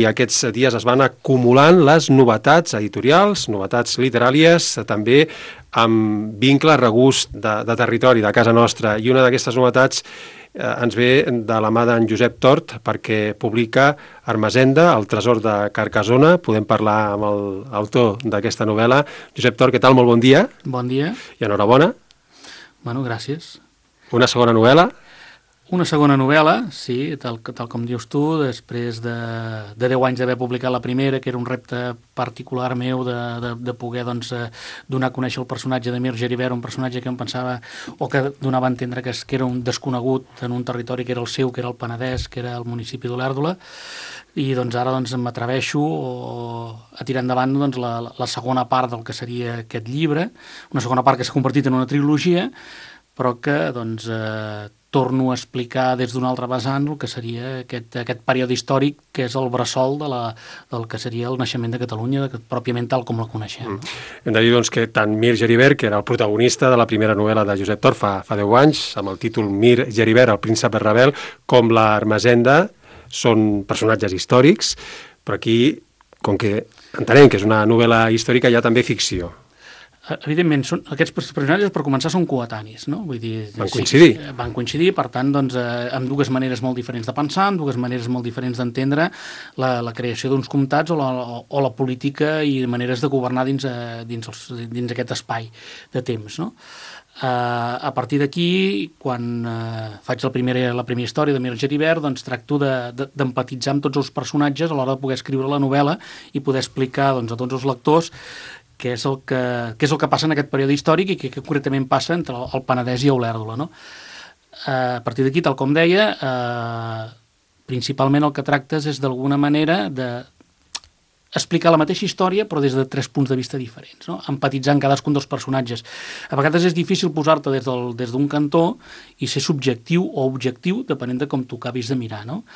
I aquests dies es van acumulant les novetats editorials, novetats literàries, també amb vincle, regust de territori, de casa nostra. I una d'aquestes novetats ens ve de la mà d'en Josep Tort, perquè publica Ermessenda, el tresor de Carcassona. Podem parlar amb l'autor d'aquesta novel·la. Josep Tort, què tal? Molt bon dia. Bon dia. I enhorabona. Bueno, gràcies. Una segona novel·la? Una segona novel·la, sí, tal com dius tu, després de 10 anys d'haver publicat la primera, que era un repte particular meu de poder donar a conèixer el personatge de Mir Geribert, un personatge que em pensava, o que donava a entendre que era un desconegut en un territori que era el seu, que era el Penedès, que era el municipi d'Olèrdola, i ara m'atreveixo a tirar endavant la segona part del que seria aquest llibre, una segona part que s'ha convertit en una trilogia, però que torno a explicar des d'un altre vessant el que seria aquest període històric que és el bressol del que seria el naixement de Catalunya, pròpiament tal com la coneixem. Hem de dir que tant Mir Geribert, que era el protagonista de la primera novel·la de Josep Tort fa 10 anys, amb el títol Mir Geribert, el príncep rebel, com la Ermessenda, són personatges històrics, però aquí, com que entenem que és una novel·la històrica, hi ha també ficció. Evidentment, aquests personatges, per començar, són coetanis, no? Vull dir, van coincidir. Sí, van coincidir, per tant, amb dues maneres molt diferents de pensar, amb dues maneres molt diferents d'entendre la creació d'uns comtats o la política i maneres de governar dins aquest espai de temps, no? A partir d'aquí, quan faig la primera història de Mir Geribert, tracto d'empatitzar amb tots els personatges a l'hora de poder escriure la novel·la i poder explicar a tots els lectors què és el que passa en aquest període històric i què concretament passa entre el Penedès i Olèrdola, no? A partir d'aquí, tal com deia, principalment el que tractes és d'alguna manera explicar la mateixa història però des de 3 punts de vista diferents, no? Empatitzar amb cadascun dels personatges. A vegades és difícil posar-te des d'un cantó i ser subjectiu o objectiu depenent de com tu acabis de mirar, no?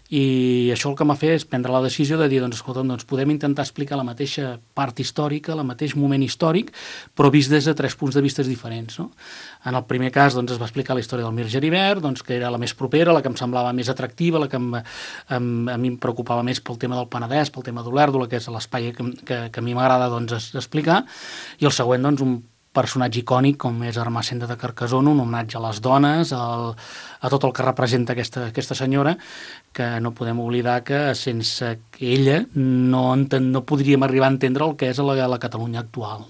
I això el que m'ha fet és prendre la decisió de dir, escolta, podem intentar explicar la mateixa part històrica, el mateix moment històric, però vist des de 3 punts de vista diferents, no? En el primer cas es va explicar la història del Mir Geribert, que era la més propera, la que em semblava més atractiva, la que a mi em preocupava més pel tema del Penedès, pel tema d'Olèrdola, que és l'espai que a mi m'agrada explicar, i el següent, un personatge icònic com és Ermessenda de Carcassona, un homenatge a les dones, a tot el que representa aquesta senyora, que no podem oblidar que sense ella no podríem arribar a entendre el que és la Catalunya actual.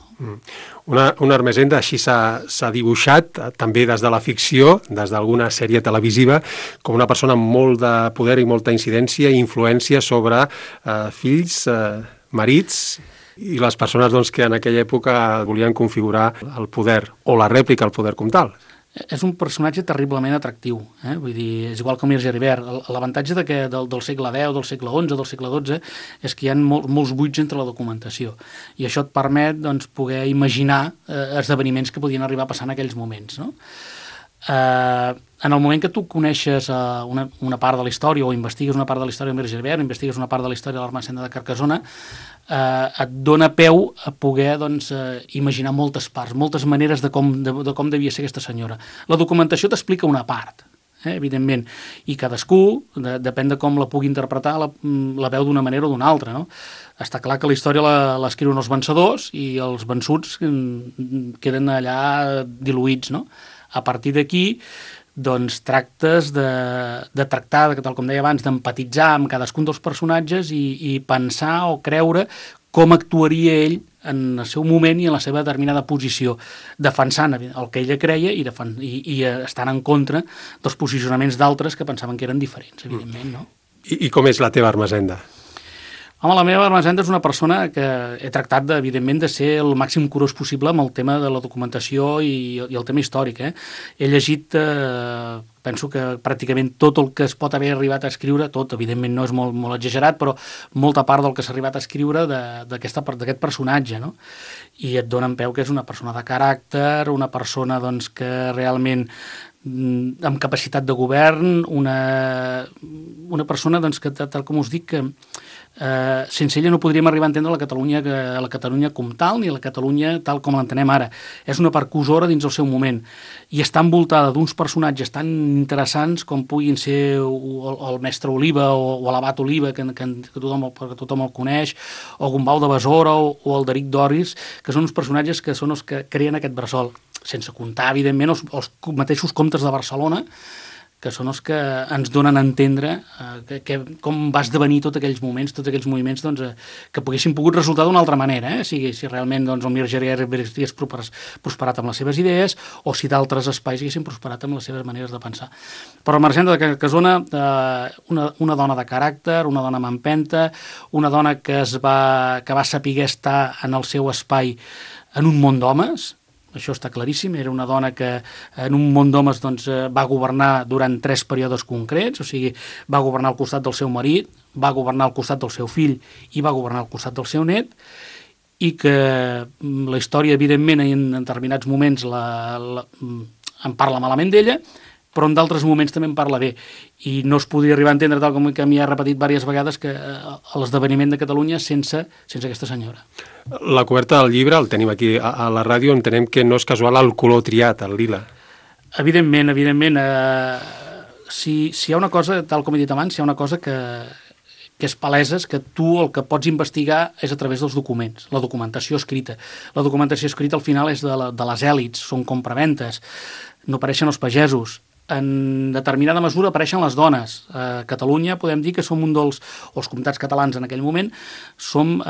Una Ermessenda així s'ha dibuixat també des de la ficció, des d'alguna sèrie televisiva, com una persona amb molt de poder i molta incidència i influència sobre fills, marits i les persones que en aquella època volien configurar el poder o la rèplica al poder comtal. És un personatge terriblement atractiu, vull dir, és igual com Mir Geribert. L'avantatge del segle X, del segle XI, del segle XII, és que hi ha molts buits entre la documentació, i això et permet poder imaginar esdeveniments que podien arribar a passar en aquells moments, no? En el moment que tu coneixes una part de la història o investigues una part de la història de Mir Geribert, investigues una part de la història de l'Ermessenda de Carcassona, et dona peu a poder imaginar moltes parts, moltes maneres de com devia ser aquesta senyora. La documentació t'explica una part, evidentment, i cadascú, depèn de com la pugui interpretar, la veu d'una manera o d'una altra, no? Està clar que la història l'escriuen els vencedors i els vençuts queden allà diluïts, no? A partir d'aquí, tractes de tractar, tal com deia abans, d'empatitzar amb cadascun dels personatges i pensar o creure com actuaria ell en el seu moment i en la seva determinada posició, defensant el que ella creia i estant en contra dels posicionaments d'altres que pensaven que eren diferents, evidentment, no? I com és la teva Ermessenda? Home, la meva Ermessenda és una persona que he tractat, evidentment, de ser el màxim curós possible amb el tema de la documentació i el tema històric. He llegit, penso que pràcticament tot el que es pot haver arribat a escriure, tot, evidentment no és molt exagerat, però molta part del que s'ha arribat a escriure d'aquest personatge, no? I et dona en peu que és una persona de caràcter, una persona que realment amb capacitat de govern, una persona que, tal com us dic, que sense ella no podríem arribar a entendre la Catalunya com tal, ni la Catalunya tal com l'entenem ara. És una percussora dins el seu moment, i està envoltada d'uns personatges tan interessants com puguin ser el mestre Oliva o l'abat Oliva, que tothom el coneix, o Gombau de Besora o el Deric Doris, que són uns personatges que són els que creen aquest bressol, sense comptar, evidentment, els mateixos comtes de Barcelona, que són els que ens donen a entendre com va esdevenir tots aquells moments, tots aquells moviments que poguessin pogut resultar d'una altra manera, si realment el Mir Geribert hagués prosperat amb les seves idees o si d'altres espais haguessin prosperat amb les seves maneres de pensar. Però Ermessenda de Carcassona, una dona de caràcter, una dona amb empenta, una dona que va saber estar en el seu espai en un món d'homes. Això està claríssim, era una dona que en un món d'homes va governar durant 3 períodes concrets, o sigui, va governar al costat del seu marit, va governar al costat del seu fill i va governar al costat del seu net, i que la història, evidentment, en determinats moments en parla malament d'ella, però en d'altres moments també en parla bé. I no es podria arribar a entendre, tal com que m'hi ha repetit diverses vegades, que l'esdeveniment de Catalunya sense aquesta senyora. La coberta del llibre, el tenim aquí a la ràdio, entenem que no és casual el color triat, el lila. Evidentment. Si hi ha una cosa, tal com he dit abans, si hi ha una cosa que és palesa, és que tu el que pots investigar és a través dels documents, la documentació escrita. La documentació escrita al final és de les èlits, són compraventes, no apareixen els pagesos. En determinada mesura apareixen les dones. A Catalunya podem dir que som els comtats catalans en aquell moment, som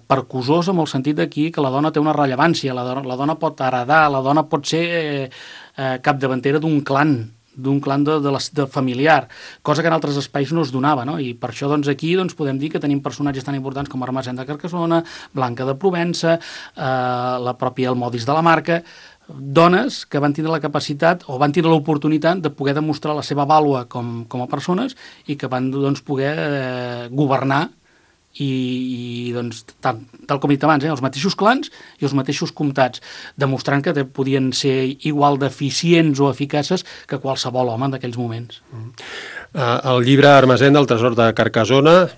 percussors en el sentit d'aquí que la dona té una rellevància, la dona pot heredar, la dona pot ser capdavantera d'un clan de familiar, cosa que en altres espais no es donava, no? I per això aquí podem dir que tenim personatges tan importants com Ermessenda de Carcassona, Blanca de Provença, la pròpia Almodis de la Marca, dones que van tindre la capacitat o van tindre l'oportunitat de poder demostrar la seva vàlua com a persones i que van poder governar i tal com he dit abans, els mateixos clans i els mateixos comtats, demostrant que podien ser igual d'eficients o eficaces que qualsevol home d'aquells moments. El llibre Ermessenda, el tresor de Carcassona,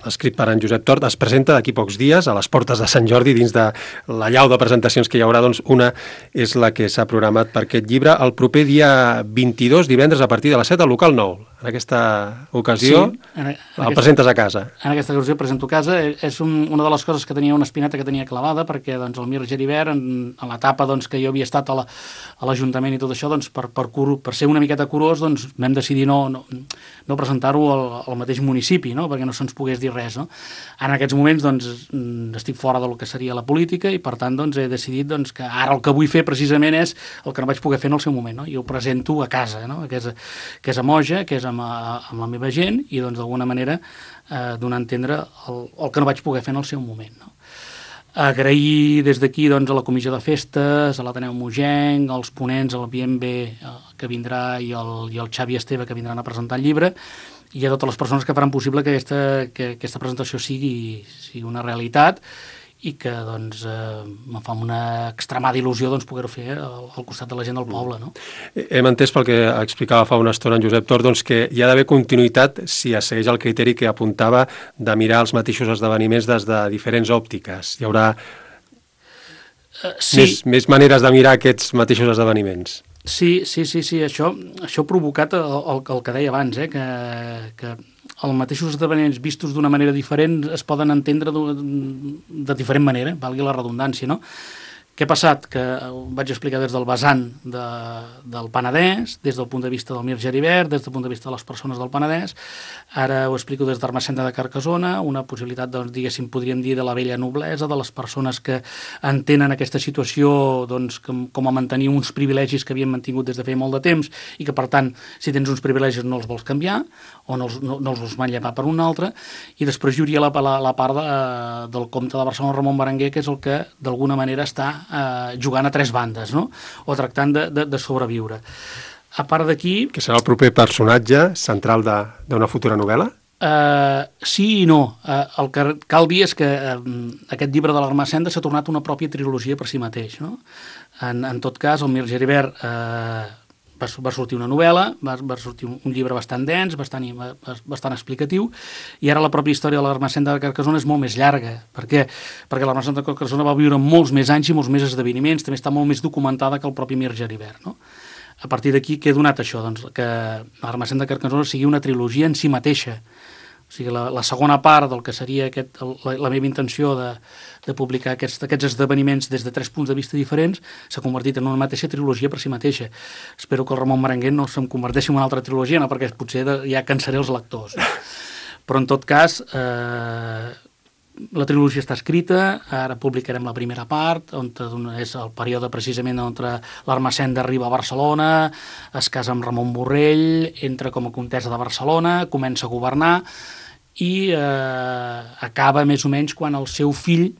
escrit per en Josep Tort, es presenta d'aquí pocs dies a les portes de Sant Jordi, dins de la llau de presentacions que hi haurà, una és la que s'ha programat per aquest llibre el proper dia 22, divendres, a partir de les 7 al local 9. En aquesta ocasió el presentes a casa. En aquesta ocasió presento a casa. És una de les coses que tenia una espineta que tenia clavada, perquè el Mir Geribert, en l'etapa que jo havia estat a l'Ajuntament i tot això, per ser una miqueta curós, vam decidir no presentar-ho al mateix municipi, perquè no se'ns pogués dir res. En aquests moments estic fora del que seria la política i per tant he decidit que ara el que vull fer precisament és el que no vaig poder fer en el seu moment, i ho presento a casa, que és a Moja, que és amb la meva gent i d'alguna manera donar a entendre el que no vaig poder fer en el seu moment. Agrair des d'aquí a la Comissió de Festes, a l'Ateneu Mogenc, als ponents, al Bienve que vindrà i el Xavi Esteve que vindran a presentar el llibre, i a totes les persones que faran possible que aquesta presentació sigui una realitat i que em fa una extremada il·lusió poder-ho fer al costat de la gent del poble. Hem entès pel que explicava fa una estona en Josep Tort que hi ha d'haver continuïtat si es segueix el criteri que apuntava de mirar els mateixos esdeveniments des de diferents òptiques. Hi haurà més maneres de mirar aquests mateixos esdeveniments. Sí, això ha provocat el que deia abans, que els mateixos esdeveniments vistos d'una manera diferent es poden entendre de diferent manera, valgui la redundància, no? Què ha passat? Que ho vaig explicar des del vessant del Penedès, des del punt de vista del Mir Geribert, des del punt de vista de les persones del Penedès. Ara ho explico des d'Ermessenda de Carcassona, una possibilitat, diguéssim, podríem dir, de la vella noblesa, de les persones que entenen aquesta situació com a mantenir uns privilegis que havien mantingut des de feia molt de temps i que, per tant, si tens uns privilegis no els vols canviar o no els vols manllevar per un altre. I després hi hauria la part del comte de Barcelona, Ramon Berenguer, que és el que, d'alguna manera, està jugant a 3 bandes, o tractant de sobreviure. A part d'aquí... Que serà el proper personatge central d'una futura novel·la? Sí i no. El que cal dir és que aquest llibre de l'Ermessenda s'ha tornat una pròpia trilogia per si mateix. En tot cas, el Mir Geribert va sortir una novel·la, va sortir un llibre bastant dens, bastant explicatiu, i ara la pròpia història de l'Ermessenda de Carcassona és molt més llarga. Per què? Perquè l'Ermessenda de Carcassona va viure molts més anys i molts més esdeveniments, també està molt més documentada que el propi Mir Geribert, no? A partir d'aquí, què ha donat això? Doncs que l'Ermessenda de Carcassona sigui una trilogia en si mateixa. O sigui, la segona part del que seria la meva intenció de publicar aquests esdeveniments des de 3 punts de vista diferents s'ha convertit en una mateixa trilogia per si mateixa. Espero que el Ramon Berenguer no se'm converteixi en una altra trilogia, no, perquè potser ja cansaré els lectors. Però, en tot cas, la trilogia està escrita, ara publicarem la primera part, on és el període precisament on l'Ermessenda arriba a Barcelona, es casa amb Ramon Borrell, entra com a comtessa de Barcelona, comença a governar i acaba més o menys quan el seu fill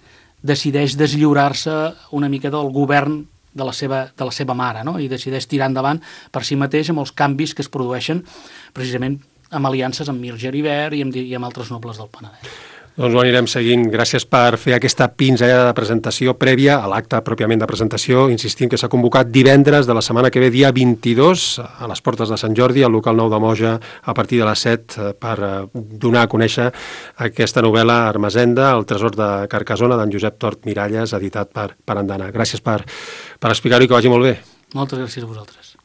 decideix deslliurar-se una mica del govern de la seva mare, no? I decideix tirar endavant per si mateix amb els canvis que es produeixen precisament amb aliances amb Mir Geribert i amb altres nobles del Penedès. Doncs ho anirem seguint. Gràcies per fer aquesta pinzellada de presentació prèvia a l'acte pròpiament de presentació. Insistim que s'ha convocat divendres de la setmana que ve, dia 22, a les portes de Sant Jordi, al local 9 de Moja, a partir de les 7, per donar a conèixer aquesta novel·la Ermessenda, el tresor de Carcassona, d'en Josep Tort Miralles, editat per Andana. Gràcies per explicar-ho i que vagi molt bé. Moltes gràcies a vosaltres.